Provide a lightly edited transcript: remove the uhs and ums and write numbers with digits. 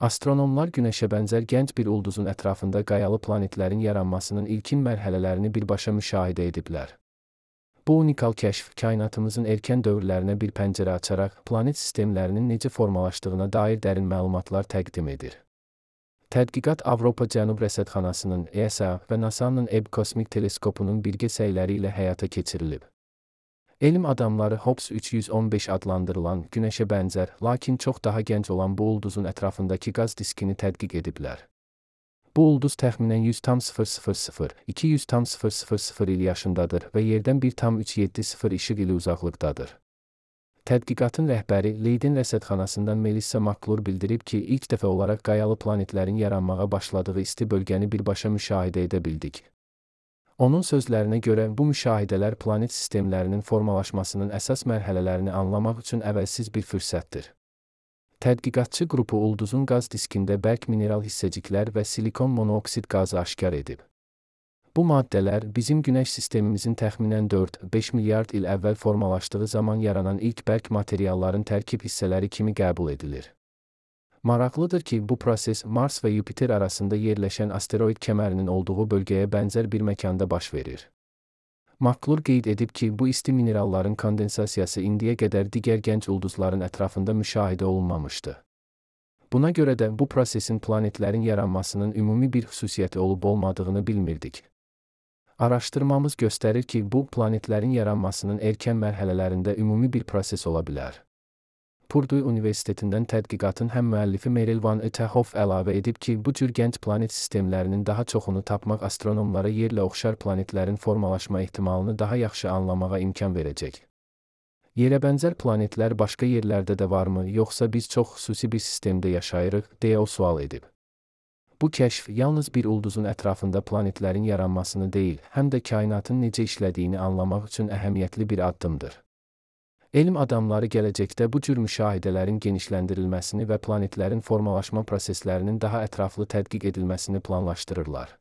Astronomlar Günəşə bənzər gənc bir ulduzun ətrafında qayalı planetlərin yaranmasının ilkin mərhələlərini birbaşa müşahidə ediblər. Bu unikal kəşf, kainatımızın erkən dövrlərinə bir pəncərə açaraq, planet sistemlərinin necə formalaşdığına dair dərin məlumatlar təqdim edir. Tədqiqat Avropa Cənub Rəsədxanasının, ESA və NASA-nın EB kosmik teleskopunun birgə səyləri ilə həyata keçirilib. Elm adamları Hobbs 315 adlandırılan, Günəşə bənzər, lakin çox daha gənc olan bu ulduzun ətrafındakı qaz diskini tədqiq ediblər. Bu ulduz təxminən 100,000–200,000 il yaşındadır və Yerdən 1,370 işıq ili uzaqlıqdadır. Tədqiqatın rəhbəri Leiden Rəsədxanasından Melissa McClure bildirib ki, ilk dəfə olaraq qayalı planetlərin yaranmağa başladığı isti bölgəni birbaşa müşahidə edə bildik. Onun sözlərinə görə, bu müşahidələr planet sistemlərinin formalaşmasının əsas mərhələlərini anlamaq üçün əvəzsiz bir fürsətdir. Tədqiqatçı qrupu ulduzun qaz diskində bərk mineral hissəciklər və silikon monoksid qazı aşkar edib. Bu maddələr bizim Günəş sistemimizin təxminən 4-5 milyard il əvvəl formalaşdığı zaman yaranan ilk bərk materialların tərkib hissələri kimi qəbul edilir. Maraqlıdır ki, bu proses Mars və Yupiter arasında yerləşən asteroid kəmərinin olduğu bölgəyə bənzər bir məkanda baş verir. McClure qeyd edib ki, bu isti mineralların kondensasiyası indiyə qədər digər gənc ulduzların ətrafında müşahidə olunmamışdı. Buna görə də bu prosesin planetlərin yaranmasının ümumi bir xüsusiyyəti olub-olmadığını bilmirdik. Araşdırmamız göstərir ki, bu planetlərin yaranmasının erkən mərhələlərində ümumi bir proses ola bilər. Purdue Universitetindən tədqiqatın həm müəllifi Meryl Van Utenhof əlavə edib ki, bu cür gənc planet sistemlərinin daha çoxunu tapmaq astronomlara yerlə oxşar planetlərin formalaşma ehtimalını daha yaxşı anlamağa imkan verəcək. Yerə bənzər planetlər başqa yerlərdə də varmı, yoxsa biz çox xüsusi bir sistemdə yaşayırıq, deyə o sual edib. Bu kəşf yalnız bir ulduzun ətrafında planetlərin yaranmasını deyil, həm də kainatın necə işlədiyini anlamaq üçün əhəmiyyətli bir addımdır. Elm adamları gələcəkdə bu cür müşahidələrin genişləndirilməsini və planetlərin formalaşma proseslərinin daha ətraflı tədqiq edilməsini planlaşdırırlar.